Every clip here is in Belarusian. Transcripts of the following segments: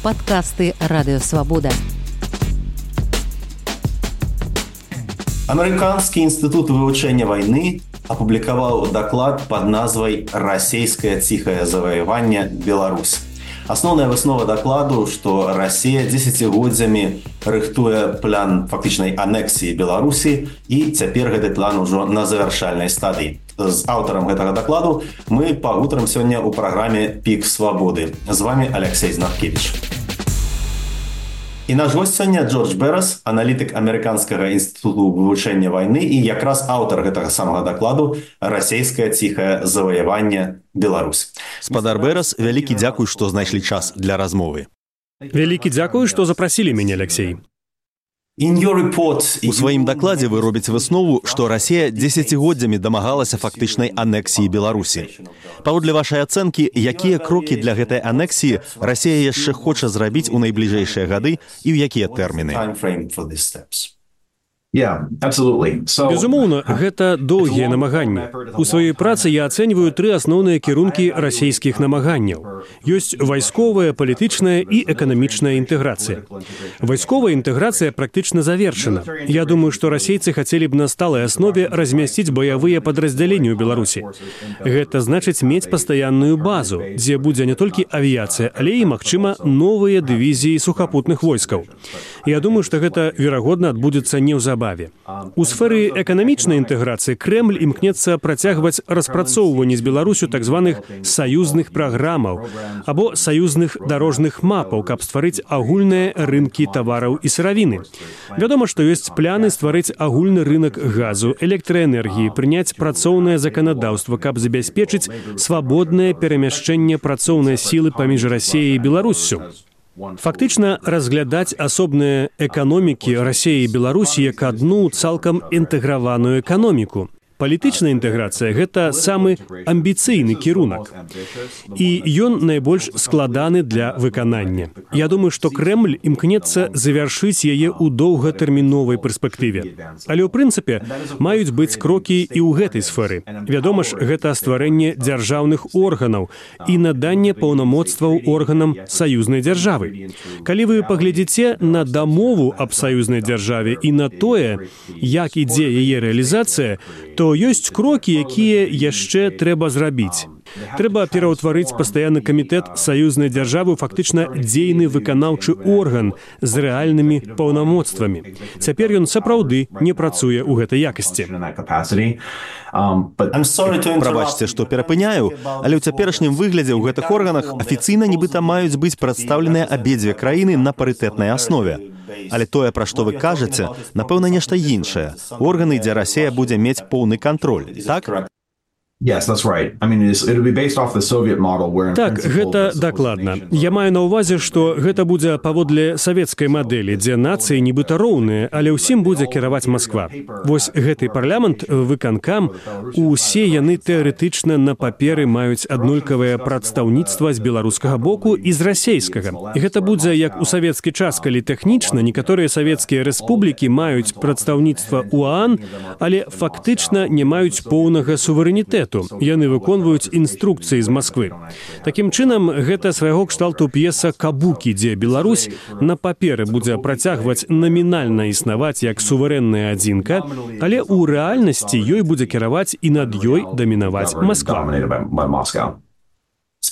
Подкасты «Радио Свобода». Американскі інстытут вывучэння вайны апублікаваў даклад пад назвай «Расейскае ціхае заваяванне Беларусь». Асноўная выснова дакладу, што Расія дзесяцігоддзямі рыхтуе план фактычнай анексіі Беларусі, і цяпер гэты план ужо на завяршальнай стадыі. З аўтарам гэтага дакладу мы пагутарым сёння ў праграме «Пік свабоды». З вами Алексей Знаткевич. І наш гость сёння Джордж Берас, аналітык Амерыканскага інстытуту вывучэння вайны і якраз аўтар гэтага самага дакладу «Расейскае ціхае заваяванне Беларусь». Спадар Берас, вялікі дзякуй, што знайшлі час для размовы. Вялікі дзякуй, што запрасілі мяне, Алексей. У сваім дакладзе вы робіце выснову, што Расія дзесяцігоддзямі дамагалася фактычнай анексіі Беларусі. Паводле вашай ацэнкі, якія крокі для гэтай анексіі Расія яшчэ хоча зрабіць у найбліжэйшыя гады і ў якія тэрміны? Безумоўна, гэта доўгія намаганні. У сваёй працы я ацэньваю тры асноўныя кірункі расійскіх намаганняў. Ёсць вайсковая, палітычная і эканамічная інтэграцыя. Вайсковая інтэграцыя практычна завершана. Я думаю, што расейцы хацелі б на сталай аснове размясціць баявыя падраздзяленні ў Беларусі. Гэта значыць мець пастаянную базу, дзе будзе не толькі авіяцыя, але і, магчыма, новыя дывізіі сухапутных войскаў. Я думаю, што гэта, верагодна, адбудзецца неўзабаве. У сферы эканамічнай інтэграцыі Крэмль імкнецца працягваць распрацоўванне з Беларусю так званых саюзных праграмаў або саюзных дарожных мапаў, каб стварыць агульныя рынкі тавараў і сыравіны. Вядома, што ёсць пляны стварыць агульны рынак газу, электраэнергіі, прыняць працоўнае заканадаўства, каб забяспечыць свабоднае перамяшчэнне працоўнай сілы паміж Расіяй і Беларуссю. Фактычна разглядаць асобныя эканомікі Расіі і Беларусі як адну цалкам інтэграваную эканоміку. Палітычная інтэграцыя – гэта самы амбіцыйны кірунак. І ён найбольш складаны для выканання. Я думаю, што Крэмль імкнецца завяршыць яе ў доўгатэрміновай перспектыве. Але ў прынцыпе маюць быць крокі і ў гэтай сферы. Вядома ж, гэта стварэнне дзяржаўных органаў і наданне паўнамоцтваў органам саюзнай дзяржавы. Калі вы паглядзіце на дамову аб саюзнай дзяржаве і на тое, як ідзе яе рэалізацыя, то ёсць крокі, якія яшчэ трэба зрабіць. Трэба пераўтварыць пастаянны камітэт саюзнай дзяржавы ў фактычна дзейны выканаўчы орган з рэальнымі паўнамоцтвамі. Цяпер ён сапраўды не працуе ў гэтай якасці. Прабачце, што перапыняю, але ў цяперашнім выглядзе ў гэтых органах афіцыйна нібыта маюць быць прадстаўленыя абедзве краіны на парытэтнай аснове. Але тое, пра што вы кажаце, напэўна, нешта іншае. Органы, дзе Расія будзе мець поўны кантроль, так? Так, гэта дакладна. Я маю на ўвазе, што гэта будзе паводле савецкай мадэлі, дзе нацыі нібыта роўныя, але ўсім будзе кіраваць Масква. Вось гэты парламент, выканкам, усе яны тэарэтычна на паперы маюць аднолькавае прадстаўніцтва з беларускага боку і з расейскага. І гэта будзе як у савецкі час, калі тэхнічна некаторыя савецкія рэспублікі маюць прадстаўніцтва УАН, але фактычна не маюць поўнага суверэнітэту. Яны выконваюць інструкцыі з Масквы. Такім чынам, гэта свайго кшталту п'еса «Кабукі», дзе Беларусь на паперы будзе працягваць намінальна існаваць як суверэнная адзінка, але ў рэальнасці ёй будзе кіраваць і над ёй дамінаваць Масква.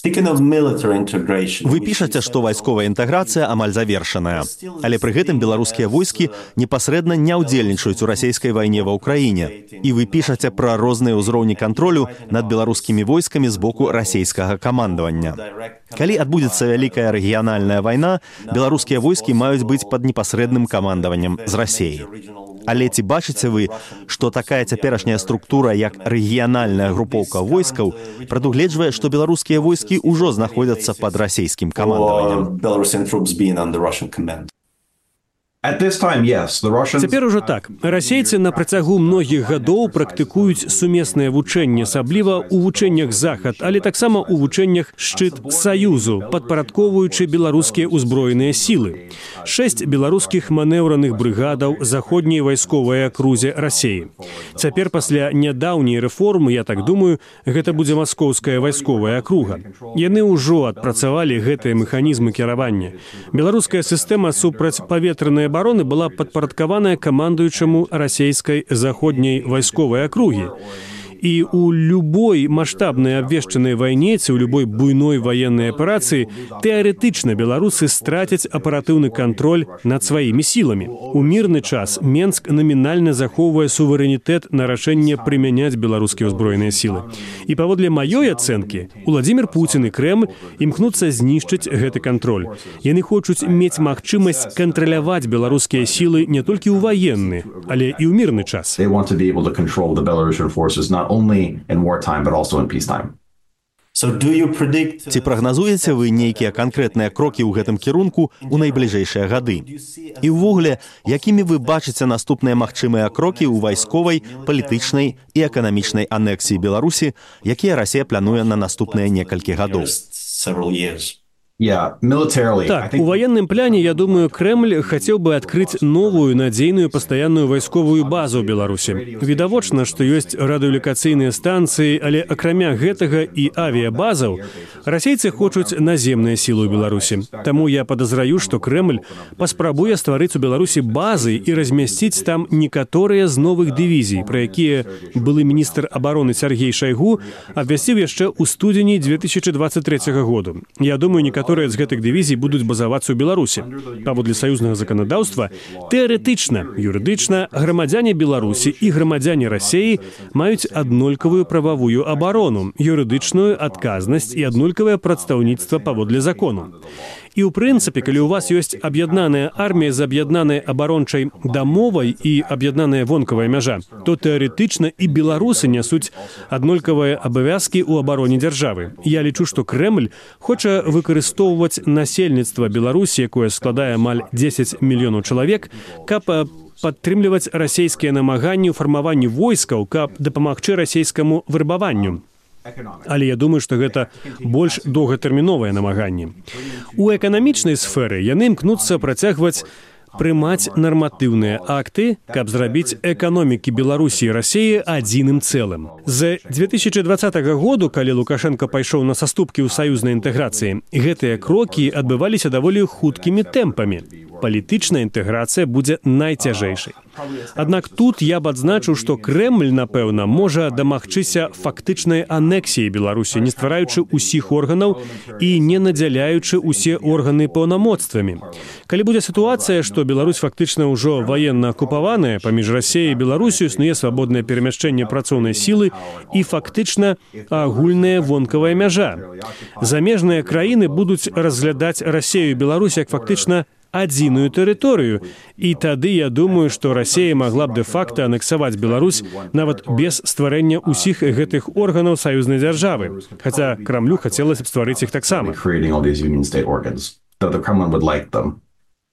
Вы пішаце, што вайсковая інтэграцыя амаль завершаная. Але пры гэтым беларускія войскі непасрэдна не ўдзельнічаюць у расійскай вайне ва ўкраіне. І вы пішаце пра розныя ўзроўні кантролю над беларускімі войскамі з боку расійскага камандавання. Калі адбудзецца вялікая рэгіянальная вайна, беларускія войскі маюць быць пад непасрэдным камандаваннем з Расіяй. Але ці бачыце вы, што такая цяперашняя структура, як рэгіянальная групоўка войскаў, прадугледжвае, што беларускія войскі ўжо знаходзяцца пад расійскім камандаваннем? Цяпер ужо так. Расейцы на працягу многіх гадоў практыкуюць сумеснае вучэнне, асабліва ў вучэннях захад, але таксама ў вучэннях шчыт Саюзу, падпарадкоўваючы беларускія ўзброеныя сілы. 6 беларускіх манеўраных брыгадаў заходняй вайсковай акрузе Расеі. Цяпер пасля нядаўняй рэформы, я так думаю, гэта будзе маскоўская вайсковая акруга. Яны ўжо адпрацавалі гэтыя механізмы кіравання. Беларуская сістэма супрацьпаветранай обороны была падпарадкаваная камандуючаму расейскай заходняй вайсковай акругі. І ў любой маштабнай абвешчанай вайне ці ў любой буйной ваеннай аперацыі тэарэтычна беларусы страцяць аператыўны кантроль над сваімі сіламі. У мірны час Менск намінальна захоўвае суверэнітэт на рашэнне прымяняць беларускія ўзброеныя сілы. І паводле маёй ацэнкі, Уладзімір Пуцін і Крэмль імкнуцца знішчыць гэты кантроль. Яны хочуць мець магчымасць кантраляваць беларускія сілы не толькі ў ваенны, але і ў мірны час. Only in wartime, but also in peacetime. Ці прагназуеце вы нейкія канкрэтныя крокі ў гэтым кірунку ў найбліжэйшыя гады? І ўвогуле, якімі вы бачыце наступныя магчымыя крокі ў вайсковай, палітычнай і эканамічнай анексіі Беларусі, якія Расія плануе на наступныя некалькі гадоў? Так, у военном плане, я думаю, Кремль хотел бы открыть новую, надзейную, постоянную войсковую базу в Беларуси. Відавочна, что есть радыёлакацыйныя станции, але акрамя гэтага и авиабазаў, расейцы хочуць наземныя сілы ў Беларуси. Таму я подозраю, что Кремль паспрабуе стварыць у Беларуси базы и размясціць там некаторыя з новых дывізій, про якія былы міністр обороны Сергей Шойгу абвясціў яшчэ ў студзені 2023 году. Я думаю, некаторыя з гэтых дывізій будуць базавацца ў Беларусі. Паводле саюзнага заканадаўства, тэарэтычна, юрыдычна, грамадзяне Беларусі і грамадзяне Расеі маюць аднолькавую прававую абарону, юрыдычную адказнасць і аднолькавае прадстаўніцтва паводле закону. І ў прынцыпе, калі ў вас ёсць аб'яднаная армія з аб'яднанай абарончай дамовай і аб'яднаная вонкавая мяжа, то тэарэтычна і беларусы нясуць аднолькавыя абавязкі ў абароне дзяржавы. Я лічу, што Кремль хоча выкарыстоўваць насельніцтва Беларусі, якое складае амаль 10 мільёнаў чалавек, каб падтрымліваць расейскія намаганні ў фармаванні войскаў, каб дапамагчы расейскаму вырабаванню. Але я думаю, што гэта больш доўгатэрміновыя намаганні. У эканамічнай сферы яны імкнуцца працягваць прымаць нарматыўныя акты, каб зрабіць эканомікі Беларусі і Расеі адзіным цэлым. З 2020 году, калі Лукашенко пайшоў на саступкі ў саюзнай інтэграцыі, гэтыя крокі адбываліся даволі хуткімі тэмпамі. Палітычная інтэграцыя будзе найцяжэйшай. Аднак тут я б адзначыў, што Кремль, напэўна, можа дамагчыся фактычнай анексіі Беларусі, не ствараючы ўсіх органаў і не надзяляючы ўсе органы паўнамоцтвамі. Калі будзе сітуацыя, што Беларусь фактычна ўжо ваенна акупаваная, паміж Расеяй і Беларусю існуе свабоднае перамяшчэнне працоўнай сілы і фактычна агульная вонкавая мяжа. Замежныя краіны будуць разглядаць Расею і Беларусь як фактычна адзіную тэрыторыю. І тады я думаю, што Расея магла б дэ-факта анексаваць Беларусь нават без стварэння ўсіх гэтых органаў саюзнай дзяржавы. Хаця Крамлю хацелася б стварыць іх таксама.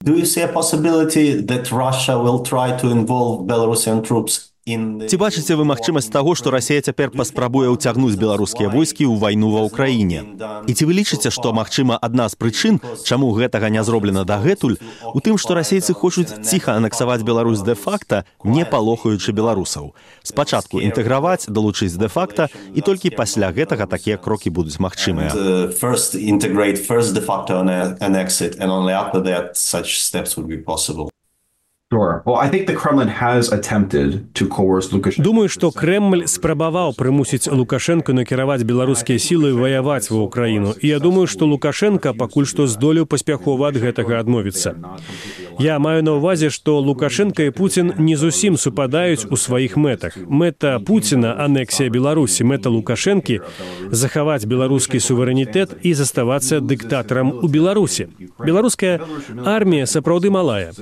Do you see a possibility that Russia will try to involve Belarusian troops? Ці бачыце вы магчымасць таго, што Расія цяпер паспрабуе ўцягнуць беларускія войскі ў вайну ва ўкраіне? І ці вы лічыце, што, магчыма, адна з прычын, чаму гэтага не зроблена дагэтуль, у тым, што расейцы хочуць ціха анексаваць Беларусь дэ-факта, не палохаючы беларусаў. Спачатку інтэграваць, далучыць дэ-факта, і толькі пасля гэтага такія крокі будуць магчымыя. First integrate, first de facto annex it, and only after that such steps would be possible. Думаю, што Кремль спрабаваў прымусіць Лукашенко накіраваць беларускія сілы ваяваць ва ўкраіну. І я думаю, што Лукашенко пакуль што здолеў паспяхова ад гэтага адмовіцца. Я маю на ўвазе, што Лукашенко і Пуцін не зусім супадаюць у сваіх мэтах. Мэта Пуціна — анексія Беларусі, мэта Лукашэнкі — захаваць беларускі суверэнітэт і заставацца дыктатарам у Беларусі. Беларуская армія сапраўды малая.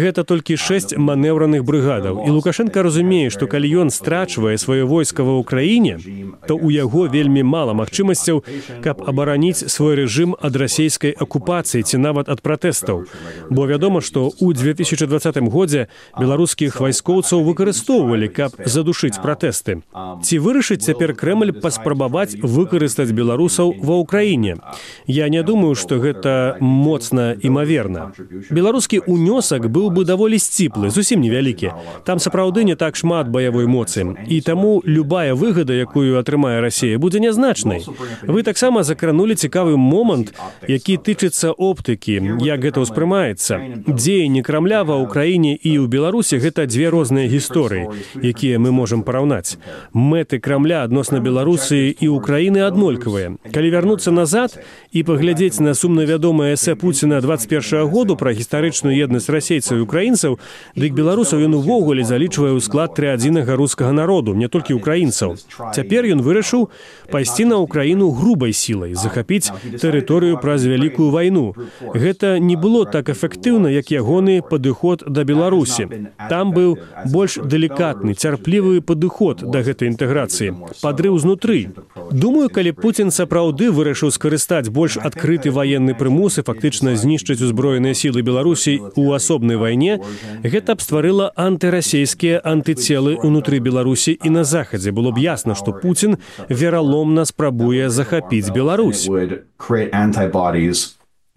Гэта толькі 6 манеўраных брыгадаў. І Лукашенко разумее, што калі ён страчвае сваё войска ва ўкраіне, то ў яго вельмі мала магчымасцяў, каб абараніць свой рэжым ад расійскай акупацыі ці нават ад пратэстаў. Бо вядома, што ў 2020 годзе беларускіх вайскоўцаў выкарыстоўвалі, каб задушыць пратэсты. Ці вырашыць цяпер Крэмль паспрабаваць выкарыстаць беларусаў ва ўкраіне? Я не думаю, што гэта моцна імаверна. Беларускі ўнёсак быў бы даволі сціплы, зусім невялікі. Там сапраўды не так шмат баявой моцы. І таму любая выгада, якую атрымае Расія, будзе нязначнай. Вы таксама закранулі цікавы момант, які тычыцца оптыкі, як гэта ўспрымаецца. Дзеянні Крамля ва ўкраіне і ў Беларусі – гэта дзве розныя гісторыі, якія мы можам параўнаць. Мэты Крамля адносна Беларусі і Украіны аднолькавыя. Калі вярнуцца назад і паглядзець на сумна вядомае эсэ Пуціна 21 году пра гістарычную еднасць расейцаў і украінцаў, дык беларусаў ён увогуле залічвае ў склад трыадзінага рускага народу, не толькі украінцаў. Цяпер ён вырашыў пайсці на Украіну грубай сілай, захапіць тэрыторыю праз вялікую вайну. Гэта не было так эфектыўна, як ягоны падыход да Беларусі. Там быў больш далікатны, цярплівы падыход да гэтай інтэграцыі, падрыў знутры. Думаю, калі Пуцін сапраўды вырашыў скарыстаць больш адкрыты ваенны прымус і фактычна знішчыць узброеныя сілы Беларусі ў асобнай вайне, гэта б стварыла антырасейскія антыцелы ўнутры Беларусі і на захадзе. Было б ясна, што Пуцін вераломна спрабуе захапіць Беларусь.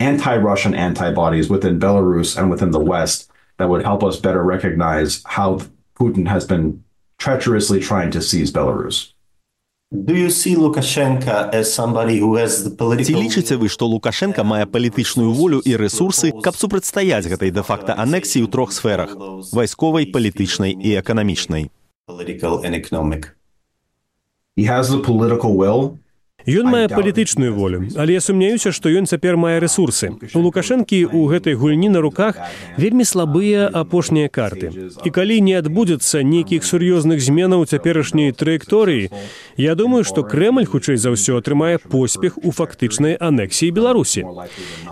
Anti-Russian antibodies within Belarus and within the West that would help us better recognize how Putin has been treacherously trying to seize Belarus. Do you see Lukashenko as somebody who has the political... Ці лічыце вы, што Лукашенка мае палітычную волю і рэсурсы, каб супрацьстаяць гэтай дэ-факта анексіі ў трох сферах – вайсковай, палітычнай і эканамічнай? Political and economic. He has the political will. Ён мае палітычную волю, але я сумняюся, што ён цяпер мае рэсурсы. У Лукашэнкі ў гэтай гульні на руках вельмі слабыя апошнія карты. І калі не адбудзецца нейкіх сур'ёзных зменаў цяперашняй траекторыі, я думаю, што Крэмль, хутчэй за ўсё, атрымае поспех у фактычнай анексіі Беларусі.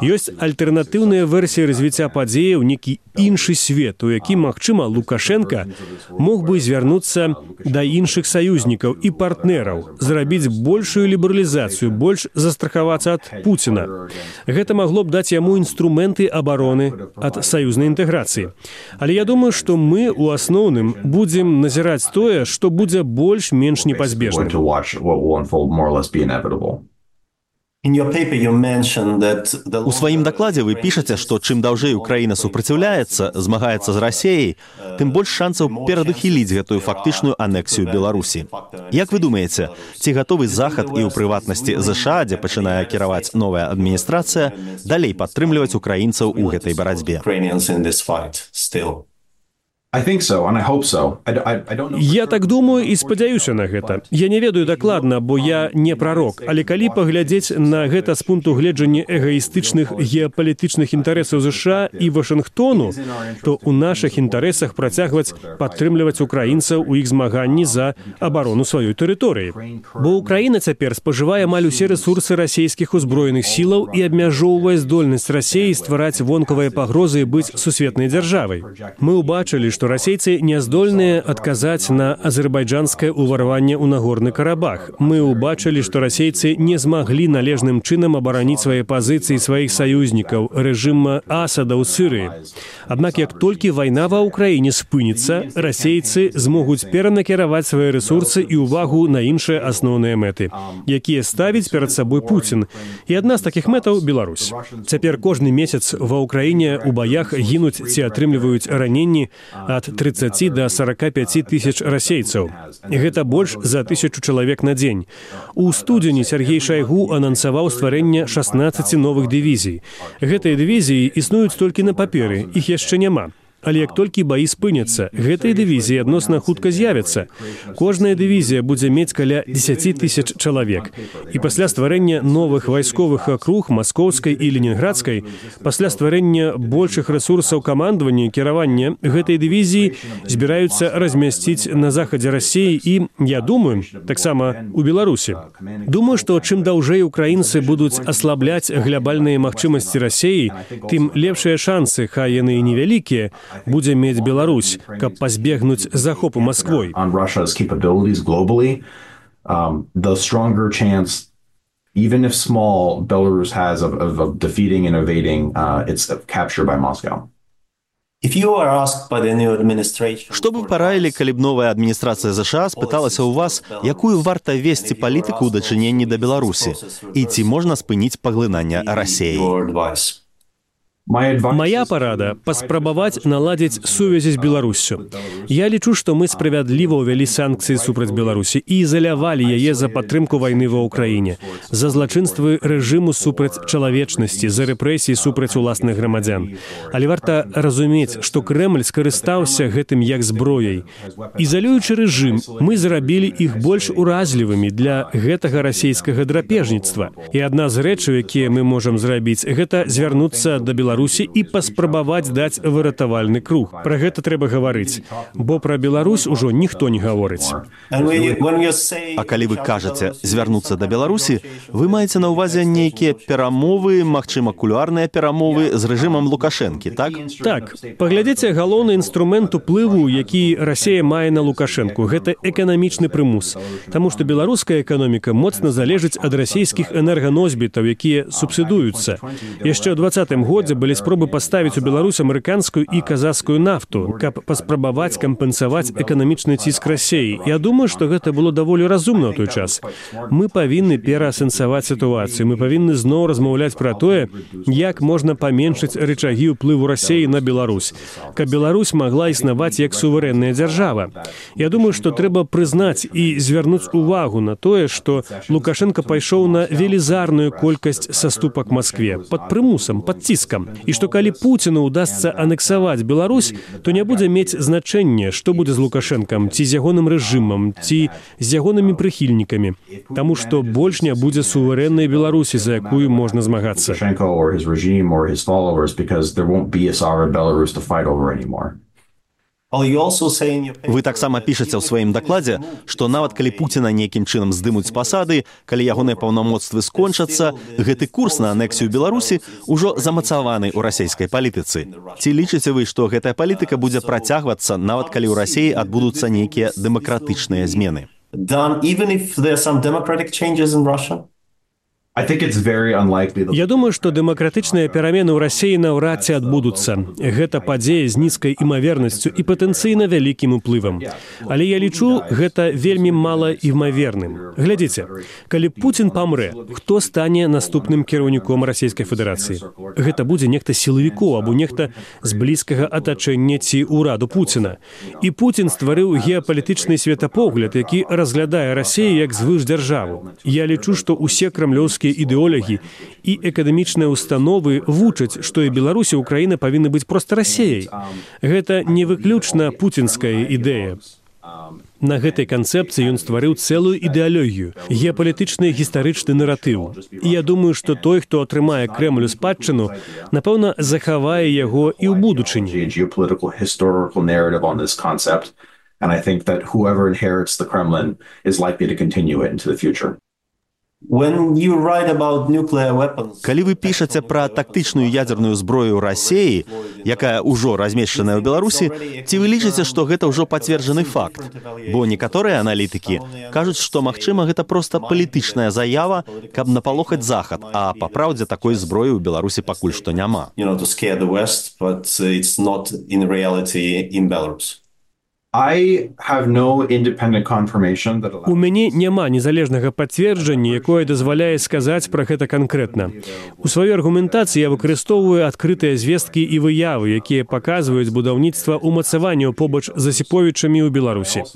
Ёсць альтэрнатыўная версія развіцця падзеяў, некі іншы свет, у які, магчыма, Лукашенка мог бы звярнуцца да іншых саюзнікаў і партнераў, зрабіць большую лібералізацыю, больш застрахавацца ад Пуціна. Гэта магло б даць яму інструменты абароны ад саюзнай інтэграцыі. Але я думаю, што мы, у асноўным, будзем назіраць тое, што будзе больш-менш непазбежным. У сваім дакладзе вы пішаце, што чым даўжэй Украіна супраціўляецца, змагаецца з Расіяй, тым больш шансаў перадухіліць гэтую фактычную анексію Беларусі. Як вы думаеце, ці гатовы Захад і ў прыватнасці ЗША, дзе пачынае кіраваць новая адміністрацыя, далей падтрымліваць украінцаў у гэтай барацьбе? Я так думаю і спадзяюся на гэта. Я не ведаю дакладна, бо я не прарок, але калі паглядзець на гэта з пункту гледжання эгаістычных геапалітычных інтарэсаў ЗША і Вашынгтону, то ў нашых інтарэсах працягваць падтрымліваць украінцаў у іх змаганні за абарону сваёй тэрыторыі. Бо Украіна цяпер спажывае амаль усе рэсурсы расійскіх узброеных сілаў і абмяжоўвае здольнасць Расіі ствараць вонкавыя пагрозы і быць сусветнай дзяржавай. Мы ўбачылі, што расейцы не здольныя адказаць на азербайджанскае ўварванне ў Нагорны Карабах. Мы ўбачылі, што расейцы не змаглі належным чынам абараніць свае пазіцыі сваіх саюзнікаў, рэжыма Асада ў Сірыі. Аднак, як толькі вайна ва ўкраіне спыніцца, расейцы змогуць перанакіраваць свае рэсурсы і ўвагу на іншыя асноўныя мэты, якія ставіць перад сабой Пуцін. І адна з такіх мэтаў – Беларусь. Цяпер кожны месяц ва ўкраіне ў баях гінуць ці атрымліваюць раненні ад 30 до 45 тысяч расейцаў. Гэта больш за 1000 чалавек на дзень. У студзені Сергей Шайгу анансаваў стварэнне 16 новых дывізій. Гэтыя дывізіі існуюць толькі на паперы, іх яшчэ няма. Але як толькі баі спыняцца, гэтыя дывізіі адносна хутка з'явяцца. Кожная дывізія будзе мець каля 10 тысяч чалавек. І пасля стварэння новых вайсковых акруг Маскоўскай і Ленінградскай, пасля стварэння большых рэсурсаў камандавання і кіравання, гэтай дывізіі збіраюцца размясціць на захадзе Расіі і, я думаю, таксама у Беларусі. Думаю, што чым даўжэй украінцы будуць аслабляць глябальныя магчымасці Расіі, тым лепшыя шансы, хай яны і невялікія, будзе мець Беларусь, каб пазбегнуць захопу Масквой. On Russia's capabilities globally, the stronger chance, even if small, Belarus has of defeating and evading its capture by Moscow. Што бы параілі, калі б новая адміністрацыя ЗША спыталася ў вас, якую варта весці палітыку ў дачыненні да Беларусі, і ці можна спыніць паглынанне Расіі? Моя парада – паспрабаваць наладзіць сувязі з Беларуссю. Я лічу, што мы справядліва ўвялі санкцыі супраць Беларусі і ізалявалі яе за падтрымку вайны ва ўкраіне, за злачынствы рэжыму супраць чалавечнасці, за рэпрэсіі супраць уласных грамадзян. Але варта разумець, што Крэмль скарыстаўся гэтым як зброяй. Ізалюючы рэжым, мы зрабілі іх больш уразлівымі для гэтага расійскага драпежніцтва. І адна з рэчаў, якія мы можам зрабіць, гэта звярнуцца да Беларусі і паспрабаваць даць выратавальны круг. Пра гэта трэба гаварыць, бо пра Беларусь ужо ніхто не гаворыць. А калі вы кажаце звярнуцца да Беларусі, вы маеце на ўвазе нейкія перамовы, магчыма, кулуарныя перамовы з рэжымам Лукашэнкі, так? Так. Паглядзіце галоўны інструмент уплыву, які Расія мае на Лукашэнку. Гэта эканамічны прымус. Таму што беларуская эканоміка моцна залежыць ад расійскіх энерганосьбітаў, якія субсідуюцца. Яшчэ ў 2020 годзе былі спробы паставіць у Беларусь амерыканскую і казахскую нафту, каб паспрабаваць кампенсаваць эканамічны ціск Расіі. Я думаю, што гэта было даволі разумна ў той час. Мы павінны пераасэнсаваць сітуацыю, мы павінны зноў размаўляць пра тое, як можна паменшыць рычагі ўплыву Расіі на Беларусь, каб Беларусь магла існаваць як суверэнная дзяржава. Я думаю, што трэба прызнаць і звярнуць увагу на тое, што Лукашенко пайшоў на велізарную колькасць саступак Маскве, пад прымусам, пад ціскам. І што калі Пуціну ўдасца анексаваць Беларусь, то не будзе мець значэння, што будзе з Лукашэнкам, ці з ягоным рэжымам, ці з ягонымі прыхільнікамі. Таму што больш не будзе суверэннай Беларусі, за якую можна змагацца. Вы таксама пішаце ў сваім дакладзе, што нават калі Пуціна нейкім чынам здымуць з пасады, калі ягоныя паўнамоцтвы скончацца, гэты курс на анексію Беларусі ўжо замацаваны ў расійскай палітыцы. Ці лічыце вы, што гэтая палітыка будзе працягвацца, нават калі ў Расіі адбудуцца нейкія дэмакратычныя змены? Я думаю, што дэмакратычныя перамены ў Расіі наўрад ці адбудуцца. Гэта падзея з нізкай імавернасцю і патэнцыйна вялікім уплывам. Але я лічу, гэта вельмі мала імаверным. Глядзіце, калі Пуцін памрэ, хто стане наступным кіраўніком Расійскай Федэрацыі? Гэта будзе нехта сілавікоў або нехта з блізкага атачэння ці ўраду Пуціна. І Пуцін стварыў геапалітычны светапогляд, які разглядае Расію як звышдзяржаву. Я лічу, што ўсе крамлёўскія ідэолагі і эканамічныя установы вучаць, што і Беларусь і Украіна павінны быць проста Расіяй. Гэта не выключна пуцінская ідэя. На гэтай канцэпцыі ён стварыў цэлую ідэалогію, геапалітычны гістарычны наратыў. І я думаю, што той, хто атрымае Крэмлю спадчыну, напэўна, захавае яго і ў будучыні. And I think that whoever inherits the Kremlin is likely to continue it into the future. Калі вы пішаце пра тактычную ядзерную зброю Расіі, якая ўжо размешчаная ў Беларусі, ці вы лічыце, што гэта ўжо пацверджаны факт? Бо некаторыя аналітыкі кажуць, што, магчыма, гэта проста палітычная заява, каб напалохаць Захад, а па праўдзе такой зброі ў Беларусі пакуль што няма. У мяне няма незалежнага пацверджання, якое дазваляе сказаць пра гэта канкрэтна. У сваёй аргументацыі я выкарыстоўваю адкрытыя звесткі і выявы, якія паказваюць будаўніцтва ўмацаванняў побач з Асіповічамі ў Беларусі.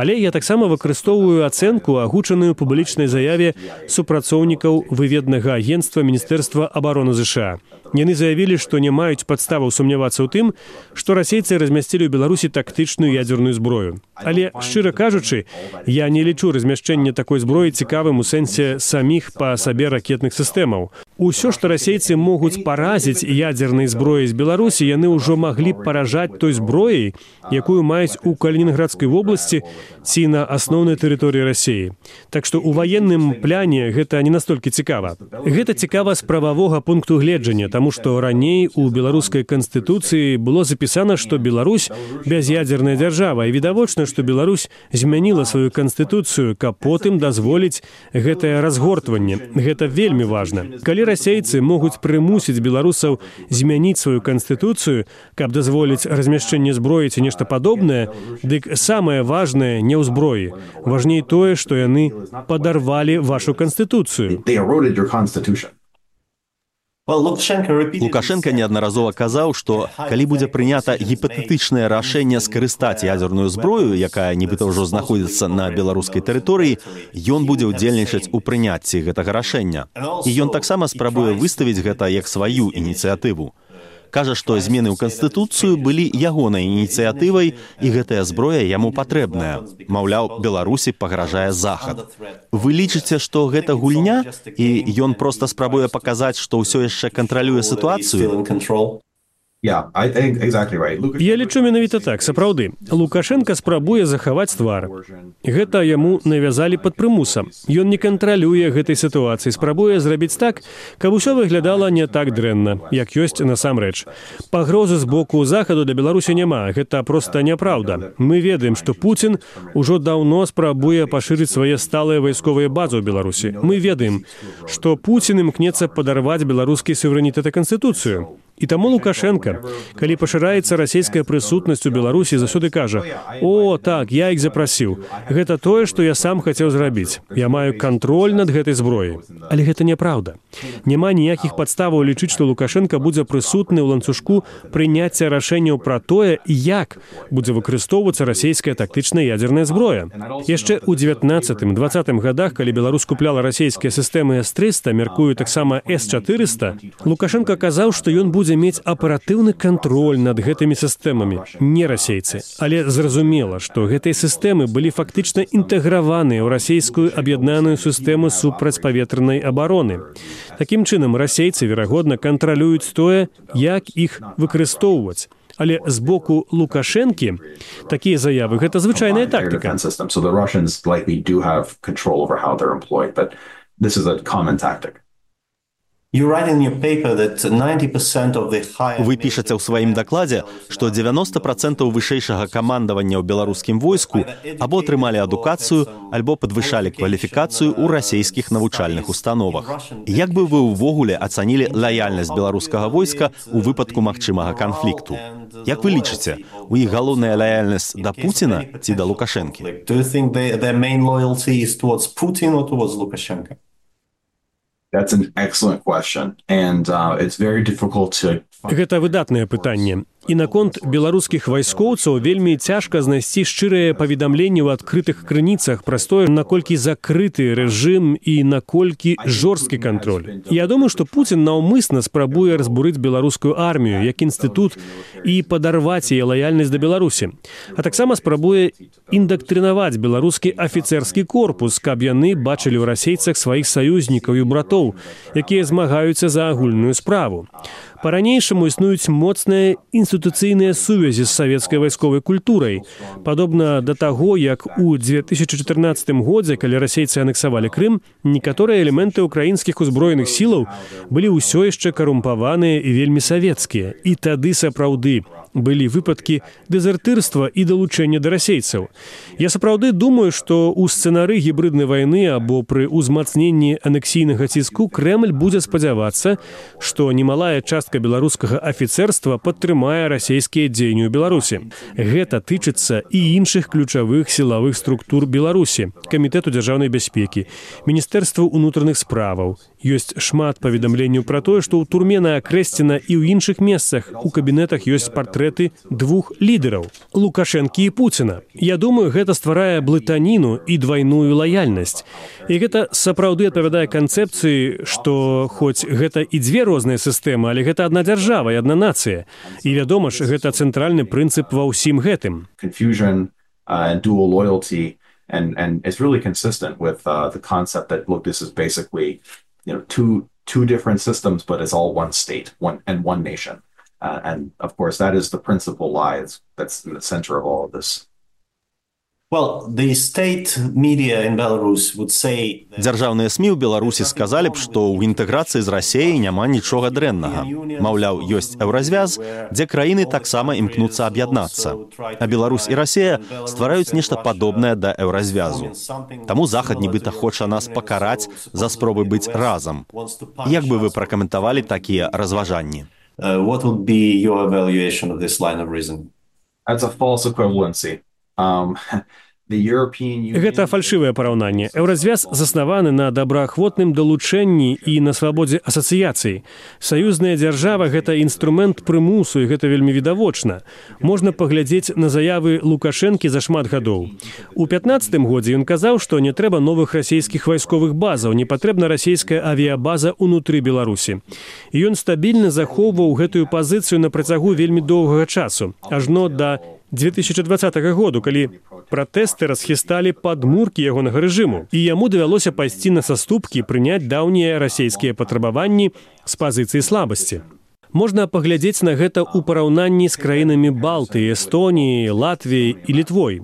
Але я таксама выкарыстоўваю ацэнку, агучаную ў публічнай заяве супрацоўнікаў выведнага агенцтва Міністэрства абароны ЗША. Яны заявілі, што не маюць падставаў сумнявацца ў тым, што расейцы размясцілі ў Беларусі тактычную ядзерную ядерную зброю. Але, шчыра кажучы, я не лічу размяшчэнне такой зброі цікавым у сэнсе саміх па сабе ракетных сістэмаў. Усё, што расейцы могуць паразіць ядернай зброяй з Беларусі, яны ўжо маглі б паражаць той зброяй, якую маюць у Калінінградскай вобласці ці на асноўнай тэрыторыі Расіі. Так што ў ваенным пляне гэта не настолькі цікава. Гэта цікава з прававога пункту гледжання, таму што раней у беларускай канстытуцыі было запісана, што Беларусь бяз'ядерная дзяржава, і відавочна, што Беларусь змяніла сваю канстытуцыю, каб потым дазволіць гэтае разгортванне. Гэта вельмі важна. Калі расейцы могуць прымусіць беларусаў змяніць сваю канстытуцыю, каб дазволіць размяшчэнне зброі ці нешта падобнае, дык самае важнае не ў зброі. Важней тое, што яны падарвалі вашу канстытуцыю. Лукашенко неаднаразова казаў, што калі будзе прынята гіпатэтычнае рашэнне скарыстаць ядерную зброю, якая нібыта ўжо знаходзіцца на беларускай тэрыторыі, ён будзе ўдзельнічаць у прыняцці гэтага рашэння. І ён таксама спрабуе выставіць гэта як сваю ініцыятыву. Кажа, што змены ў Канстытуцыю былі ягонай ініцыятывай, і гэтая зброя яму патрэбная. Маўляў, Беларусі пагражае Захад. Вы лічыце, што гэта гульня, і ён проста спрабуе паказаць, што ўсё яшчэ кантралюе сітуацыю? Yeah, I think exactly right. Я лічу менавіта так, сапраўды. Лукашенка спрабуе захаваць твар. Гэта яму навязалі пад прымусам. Ён не кантралюе гэтай сітуацыі, спрабуе зрабіць так, каб усё выглядала не так дрэнна, як ёсць насамрэч. Пагрозы з боку Захаду для Беларусі няма, гэта проста няпраўда. Мы ведаем, што Пуцін ужо даўно спрабуе пашырыць свае сталыя вайсковыя базы ў Беларусі. Мы ведаем, што Пуцін імкнецца падарваць беларускі суверэнітэт і канстытуцыю. І таму Лукашенка, калі пашыраецца расійская прысутнасць у Беларусі, заўсёды кажа: «О, так, я іх запрасіў. Гэта тое, што я сам хацеў зрабіць. Я маю кантроль над гэтай зброяй». Але гэта няпраўда. Няма ніякіх падставаў лічыць, што Лукашенка будзе прысутны ў ланцужку прыняцця рашэнняў пра тое, як будзе выкарыстоўвацца расійская тактычная ядерная зброя. Яшчэ ў 19-20 гадах, калі Беларусь купляла расійскія сістэмы С-300, мяркую таксама С-400, Лукашенка казаў, што ён будзе мець аператыўны кантроль над гэтымі сістэмамі, не расейцы. Але зразумела, што гэтыя сістэмы былі фактычна інтэграваныя ў расійскую аб'яднаную сістэму супрацьпаветранай абароны. Такім чынам, расейцы, верагодна, кантралююць тое, як іх выкарыстоўваць. Але з боку Лукашэнкі такія заявы – гэта звычайная тактыка. Вы пішаце ў сваім дакладзе, што 90% вышэйшага камандавання ў беларускім войску або атрымалі адукацыю, альбо падвышалі кваліфікацыю ў расійскіх навучальных установах. Як бы вы ўвогуле ацанілі лаяльнасць беларускага войска ў выпадку магчымага канфлікту? Як вы лічыце, у іх галоўная лаяльнасць да Пуціна ці да Лукашэнкі? That's an excellent question, and it's very difficult to... Гэта выдатнае пытанне. І наконт беларускіх вайскоўцаў вельмі цяжка знайсці шчырыя паведамленні ў адкрытых крыніцах пра тое, наколькі закрыты рэжым і наколькі жорсткі кантроль. Я думаю, што Пуцін наўмысна спрабуе разбурыць беларускую армію як інстытут і падарваць яе лаяльнасць да Беларусі. А таксама спрабуе індактрынаваць беларускі афіцэрскі корпус, каб яны бачылі ў расейцах сваіх саюзнікаў і братоў, якія змагаюцца за агульную справу. Па-ранейшаму існуюць моцныя інстытуцыйныя сувязі з савецкай вайсковай культурай. Падобна да таго, як у 2014 годзе, калі расейцы анексавалі Крым, некаторыя элементы ўкраінскіх узброеных сілаў былі ўсё яшчэ карумпаваныя і вельмі савецкія. І тады сапраўды былі выпадкі дэзертырства і далучэння да расейцаў. Я сапраўды думаю, што ў сцэнары гібрыднай вайны або пры ўзмацненні анексійнага ціску Крэмль будзе спадзявацца, што немалая частка беларускага афіцэрства падтрымае расійскія дзеянні ў Беларусі. Гэта тычыцца і іншых ключавых сілавых структур Беларусі, Камітэту дзяржаўнай бяспекі, Міністэрству ўнутраных справаў. Ёсць шмат паведамленняў пра тое, што ў турме на Акрэсціна і ў іншых месцах у кабінетах ёсць партрэт партрэты двух лідараў – Лукашэнкі і Пуціна. Я думаю, гэта стварае блытаніну і двайную лаяльнасць. І гэта сапраўды адпавядае канцэпцыі, што хоць гэта і дзве розныя сістэмы, але гэта адна дзяржава і адна нацыя. І, вядома ж, гэта цэнтральны прынцып ва ўсім гэтым. Confusion and dual loyalty, and it's really consistent with the concept that, look, this is basically, two different systems, but it's all one state, one nation. And of course, that is the principal lie that's in the center of all of this. Well, the state media in Belarus would say... Дзяржаўныя СМІ ў Беларусі сказалі б, што ў інтэграцыі з Расіяй няма нічога дрэннага. Маўляў, ёсць еўразвяз, дзе краіны таксама імкнуцца аб'яднацца. А Беларусь і Расія ствараюць нешта падобнае да еўразвязу. Таму Захад нібыта хоча нас пакараць за спробы быць разам. Як бы вы пракаментавалі такія разважанні? What would be your evaluation of this line of reasoning? That's a false equivalency. Гэта фальшывае параўнанне. Еўразвяз заснаваны на добраахвотным далучэнні і на свабодзе асацыяцыі. Саюзная дзяржава – гэта інструмент прымусу, і гэта вельмі відавочна. Можна паглядзець на заявы Лукашэнкі за шмат гадоў. У 15-м годзе ён казаў, што не трэба новых расійскіх вайсковых базаў, не патрэбна расійская авіябаза ўнутры Беларусі. І ён стабільна захоўваў гэтую пазіцыю на працягу вельмі доўгага часу, ажно да 2020 году, калі пратэсты расхісталі падмуркі ягонага рэжыму, і яму давялося пайсці на саступкі, прыняць даўнія расійскія патрабаванні з пазіцыі слабасці. Можна паглядзець на гэта ў параўнанні з краінамі Балтыі, Эстоніі, Латвіі і Літвой.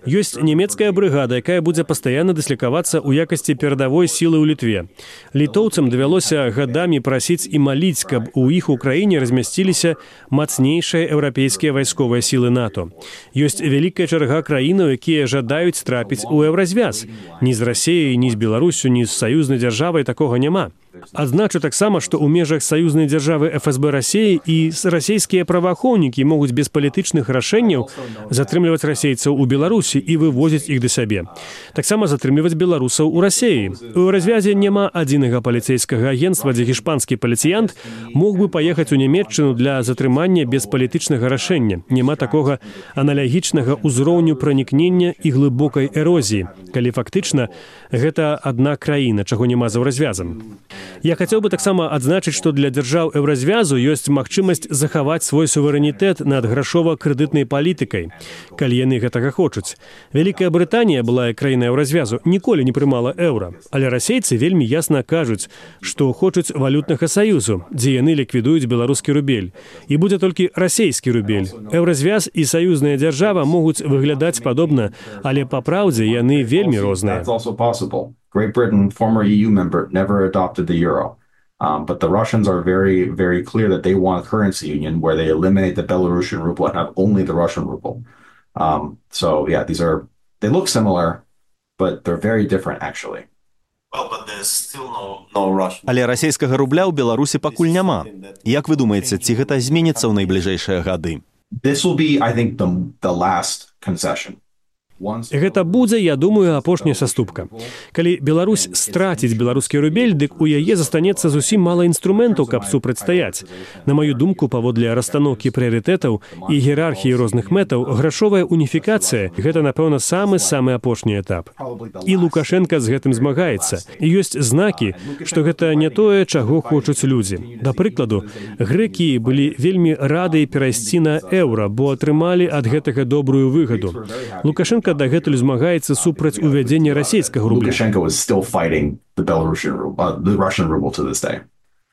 Ёсць нямецкая брыгада, якая будзе пастаянна дыслікавацца ў якасці перадавой сілы ў Літве. Літоўцам давялося гадамі прасіць і маліць, каб у іх у краіне размясціліся мацнейшыя еўрапейскія вайсковыя сілы НАТО. Ёсць вялікая чарга краінаў, якія жадаюць трапіць у еўразвяз. Ні з Расіяй, ні з Беларуссю, ні з саюзнай дзяржавай такога няма. Адзначу таксама, што ў межах саюзнай дзяржавы ФСБ Расіі і расійскія праваахоўнікі могуць без палітычных рашэнняў затрымліваць расейцаў у Беларусі і вывозіць іх да сябе. Таксама затрымліваць беларусаў у Расіі. У развязе няма адзінага паліцейскага агенцтва, дзе гішпанскі паліцыянт мог бы паехаць у Нямецчыну для затрымання без палітычнага рашэння. Няма такога аналагічнага ўзроўню пранікнення і глыбокай эрозіі, калі фактычна гэта адна краіна, чаго няма за развязам. Я хацеў бы таксама адзначыць, што для дзяржаў еўразвязу ёсць магчымасць захаваць свой суверэнітэт над грашова-крэдытнай палітыкай, калі яны гэтага хочуць. Вялікая Брытанія, былая краіна еўразвязу, ніколі не прымала еўра, але расейцы вельмі ясна кажуць, што хочуць валютнага саюзу, дзе яны ліквідуюць беларускі рубель. І будзе толькі расейскі рубель. Еўразвяз і саюзная дзяржава могуць выглядаць падобна, але па праўдзе яны вельмі розныя. Great Britain, former EU member, never adopted the euro. But the Russians are very, very clear that they want a currency union where they eliminate the Belarusian ruble and have only the Russian ruble. So, yeah, they look similar, but they're very different, actually. Але расійскага рубля ў Беларусі пакуль няма. Як вы думаеце, ці гэта зменіцца ў найбліжэйшыя гады? This will be, I think, the last concession. Гэта будзе, я думаю, апошняя саступка. Калі Беларусь страціць беларускі рубель, дык у яе застанецца зусім мала інструментаў, каб супрацьстаяць. На маю думку, паводле расстаноўкі прыярытэтаў і іерархіі розных мэтаў, грашовая уніфікацыя – гэта, напэўна, самы апошні этап. І Лукашенка з гэтым змагаецца. І ёсць знакі, што гэта не тое, чаго хочуць людзі. Да прыкладу, грэкі былі вельмі рады перайсці на еўра, бо атрымалі ад гэтага добрую выгаду. Лукашенка дагэтуль змагаецца супраць увядзення расійскага рубля. Lukashenko is still fighting the Russian ruble to this day.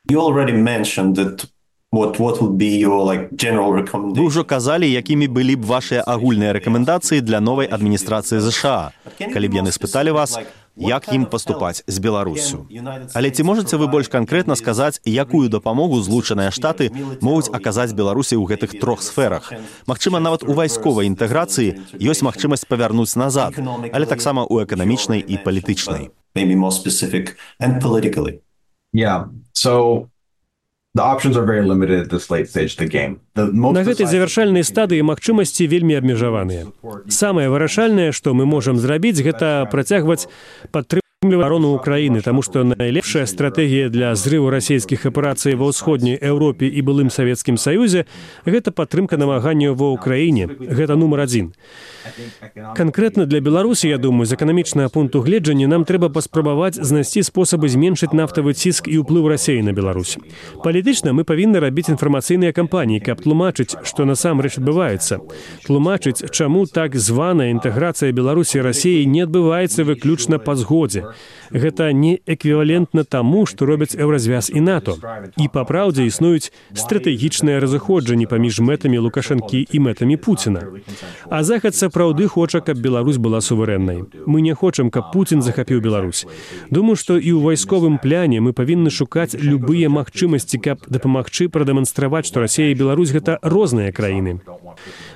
You already mentioned that what would be your general recommendation. Вы ўжо казалі, якімі былі б вашыя агульныя рэкамендацыі для новай адміністрацыі ЗША, калі б яны спыталі вас, як ім паступаць з Беларуссю. Але ці можаце вы больш канкрэтна сказаць, якую дапамогу Злучаныя Штаты могуць аказаць Беларусі ў гэтых трох сферах? Магчыма, нават у вайсковай інтэграцыі ёсць магчымасць павярнуць назад, але таксама ў эканамічнай і палітычнай. Maybe more specific and politically. Yeah, so the options are very limited at this late stage of the game. На гэтай завяршальнай стадыі магчымасці вельмі абмежаваныя. Самае вырашальнае, што мы можам зрабіць, гэта працягваць падтрымку оборону Украины, потому что наилепшая стратегия для зрыву российских операций во ўсходняй Европе и былым Советским Союзе – это падтрымка намаганняў во Украине. Это номер один. Конкретно для Беларуси, я думаю, з эканамічнага пункту гледжання нам трэба паспрабаваць знайсці спосабы зменшыць нафтавы ціск і ўплыў Расіі на Беларусь. Палітычна мы павінны рабіць інфармацыйныя кампаніі, каб тлумачыць, што насамрэч адбываецца. Тлумачыць, чаму так званая інтэграцыя Беларусі і Расіі не адбываецца выключна па згодзе. Гэта не эквівалентна таму, што робяць Еўразвяз і НАТО. І па праўдзе існуюць стратэгічныя разыходжанні паміж мэтамі Лукашэнкі і мэтамі Пуціна. А Захад сапраўды хоча, каб Беларусь была суверэннай. Мы не хочам, каб Пуцін захапіў Беларусь. Думаю, што і ў вайсковым пляне мы павінны шукаць любыя магчымасці, каб дапамагчы прадэманстраваць, што Расія і Беларусь – гэта розныя краіны.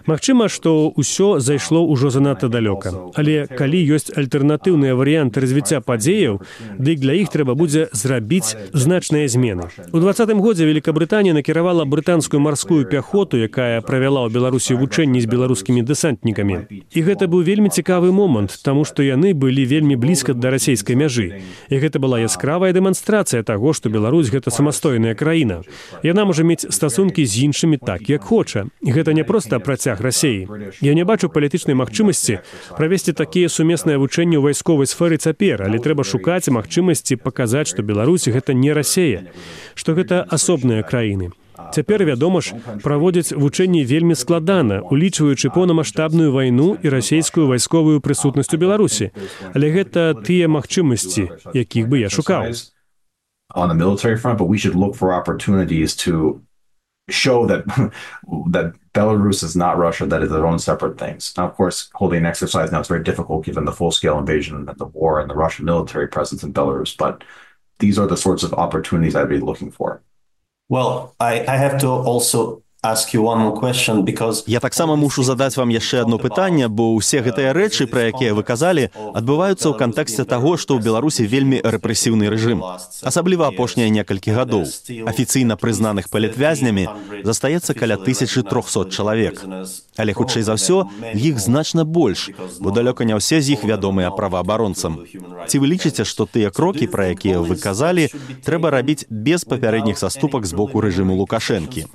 Магчыма, што ўсё зайшло ўжо занадта далёка. Але калі ёсць альтэрнатыўныя варыянты развіцця падзеяў, дык для іх трэба будзе зрабіць значныя змены. У 2020 годзе Великабрытанія накіравала брытанскую марскую пяхоту, якая правяла ў Беларусі вучэнні з беларускімі дэсантнікамі. І гэта быў вельмі цікавы момант, таму што яны былі вельмі блізка да расійскай мяжы. І гэта была яскравая дэманстрацыя таго, што Беларусь – гэта самастойная краіна. Яна можа мець стасункі з іншымі так, як хоча. І гэта не проста працяг Расіі. Я не бачу палітычнай магчымасці правесці такія сумесныя вучэнні ў вайсковай сферы цяпер, але трэба шукаць магчымасці паказаць, што Беларусь – гэта не Расія, што гэта асобныя краіны. Цяпер, вядома ж, праводзяць вучэнні вельмі складана, улічваючы поўнамаштабную вайну і расійскую вайсковую прысутнасць у Беларусі. Але гэта тыя магчымасці, якіх бы я шукаў. On the military front, but we should look for opportunities to show that Belarus is not Russia, that is their own separate things. Now, of course, holding an exercise now is very difficult given the full-scale invasion and the war and the Russian military presence in Belarus, but these are the sorts of opportunities I'd be looking for. Well, I have to also ask you one more question, because... Я таксама мушу задаць вам яшчэ одно пытанне, бо ўсе гэтыя рэчы, пра якія вы казалі, адбываюцца ў кантэксце таго, што ў Беларусі вельмі рэпрэсіўны рэжым. Асабліва апошнія некалькі гадоў. Афіцыйна прызнаных палітвязнямі застаецца каля 1300 чалавек. Але, хутчэй за ўсё, іх значна больш, бо далёка не ўсе з іх вядомыя праваабаронцам. Ці вы лічыце, што тыя крокі, пра якія вы казалі, трэба рабіць без папярэдніх саступак з боку рэжыму Лукашэнкі?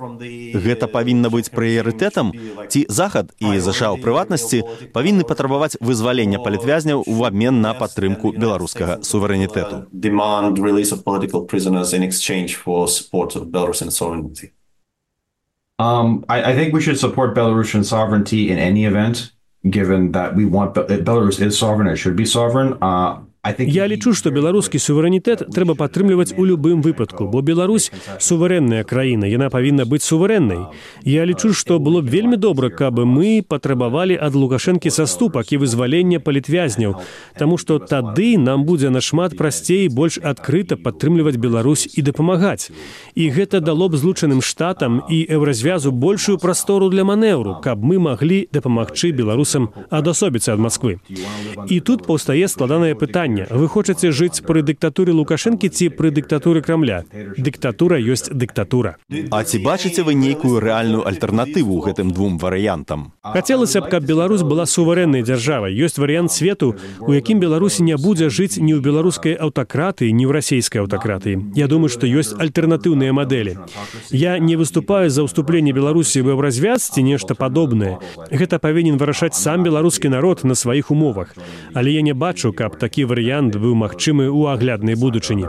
Гэта павінна быць прыярытэтам? Ці Захад і ЗША ў прыватнасці павінны патрабаваць вызвалення палітвязняў у абмен на падтрымку беларускага суверэнітэту? Demand release of political prisoners in exchange for support of Belarusian sovereignty. I think we should support Belarusian sovereignty in any event, given that we want Belarus is sovereign, it should be sovereign. Я лічу, што беларускі суверэнітэт трэба падтрымліваць у любым выпадку, бо Беларусь – суверэнная краіна, яна павінна быць суверэннай. Я лічу, што было б вельмі добра, каб мы патрабавалі ад Лукашэнкі саступак і вызвалення палітвязняў, таму што тады нам будзе нашмат прасцей больш адкрыта падтрымліваць Беларусь і дапамагаць. І гэта дало б Злучаным Штатам і Еўразвязу большую прастору для манеўру, каб мы маглі дапамагчы беларусам адасобіцца ад Масквы. І тут паўстае складанае пытанне. Вы хочаце жыць пры дыктатуры Лукашэнкі ці пры дыктатуры Крамля? Дыктатура ёсць дыктатура. А ці бачыце вы нейкую рэальную альтэрнатыву гэтым двум варыянтам? Хацелася б, каб Беларусь была суверэннай дзяржавай. Ёсць варыянт свету, у якім Беларусь не будзе жыць ні ў беларускай аўтакратыі, ні ў расійскай аўтакратыі. Я думаю, што ёсць альтэрнатыўныя мадэлі. Я не выступаю за ўступленне Беларусі ў Еўразвяз ці нешта падобнае. Гэта павінен вырашаць сам беларускі народ на сваіх умовах. Але я не бачу, каб такі варыянт быў магчымы ў агляднай будучыні.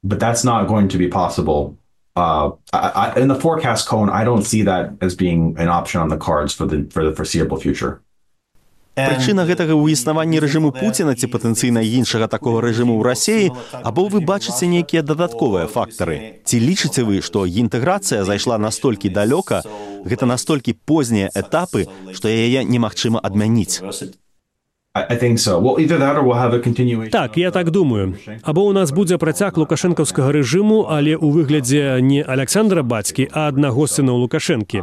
But that's not going to be possible. In the forecast cone, I don't see that as being an option on the cards for the foreseeable future. Прычына гэтага ў існаванні рэжыму Пуціна ці патэнцыйна іншага такога рэжыму ў Расіі, або вы бачыце нейкія дадатковыя фактары? Ці лічыце вы, што інтэграцыя зайшла настолькі далёка, гэта настолькі познія этапы, што яе немагчыма адмяніць? Так, я так думаю. Або у нас будзе працяг лукашэнкаўскага рэжыму, але ў выглядзе не Александра бацькі, а аднаго сына Лукашэнкі.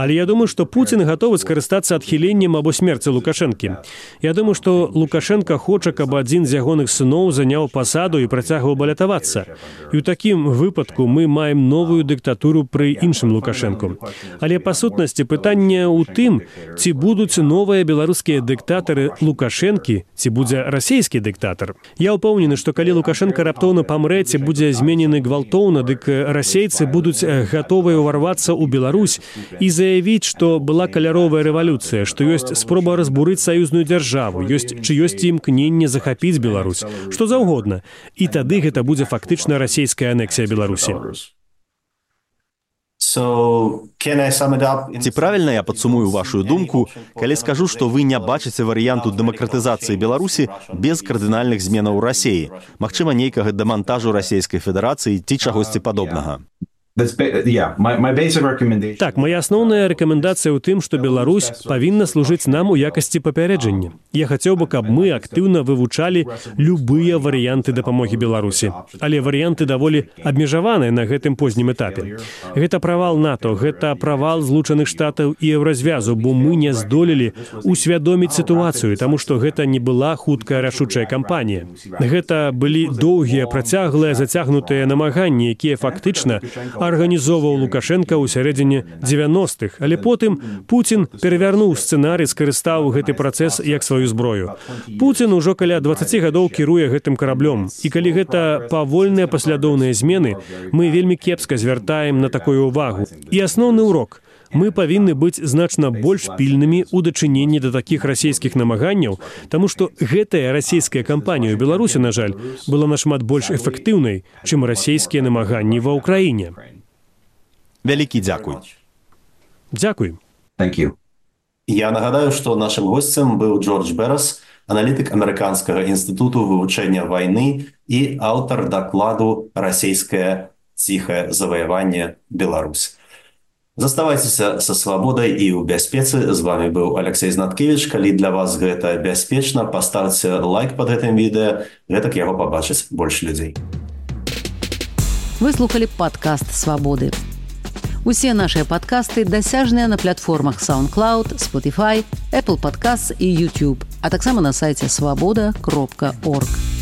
Але я думаю, што Пуцін гатовы скарыстацца адхіленнем або смерці Лукашэнкі. Я думаю, што Лукашэнка хоча, каб адзін з ягоных сыноў заняў пасаду і працягваў балятавацца. І ў такім выпадку мы маем новую дыктатуру пры іншым Лукашэнку. Але па сутнасці пытанне ў тым, ці будуць новыя беларускія дыктатары Лукашэнкі, ці будзе расійскі дыктатар. Я ўпэўнены, што калі Лукашенко раптоўна памрэ, ці будзе зменены гвалтоўна, дык расейцы будуць гатовыя ўварвацца ў Беларусь і заявіць, што была каляровая рэвалюцыя, што ёсць спроба разбурыць саюзную дзяржаву, ёсць чыёсьці імкненне захапіць Беларусь, што заўгодна. І тады гэта будзе фактычна расійская анексія Беларусі. Ці правільна я падсумую вашу думку, калі скажу, што вы не бачыце варыянту дэмакратызацыі Беларусі без кардынальных зменаў у Расіі, магчыма, нейкага дэмантажу Расійскай Федэрацыі ці чагосьці падобнага? Так, моя асноўная рэкамендацыя ў тым, што Беларусь павінна служыць нам у якасці папярэджання. Я хацеў бы, каб мы актыўна вывучалі любыя варыянты дапамогі Беларусі. Але варыянты даволі абмежаваныя на гэтым познім этапе. Гэта правал НАТО, гэта правал Злучаных Штатаў і Еўразвязу, бо мы не здолелі усвядоміць сітуацыю, таму што гэта не была хуткая рашучая кампанія. Гэта былі доўгія, працяглыя, зацягнутыя намаганні, якія фактычна арганізоўваў Лукашенко ў сярэдзіне 90-х, але потым Пуцін перавярнуў сцэнарый, скарыстаў гэты працэс як сваю зброю. Пуцін ужо каля 20 гадоў кіруе гэтым караблём, і калі гэта павольныя паслядоўныя змены, мы вельмі кепска звяртаем на такую ўвагу. І асноўны урок. Мы павінны быць значна больш пільнымі ў дачыненні да такіх расійскіх намаганняў, таму што гэтая расійская кампанія ў Беларусі, на жаль, была нашмат больш эфектыўнай, чым расійскія намаганні ва ўкраіне. Вялікі дзякуй. Дзякуй. Я нагадаю, што нашым госцем быў Джордж Берас, аналітык Амерыканскага інстытуту вывучэння вайны і аўтар дакладу «Расійскае ціхае заваяванне Беларусь». Заставайцеся са свабодай і ў бяспецы. З вами быў Алексей Знаткевіч. Калі для вас гэта бяспечна, паставце лайк пад гэтым відэа, гэтак яго пабачыць больш людзей. Вы слухалі падкаст «Свабоды». Усе нашыя падкасты дасяжныя на платформах SoundCloud, Spotify, Apple Podcasts і YouTube, а таксама на сайце swaboda.org.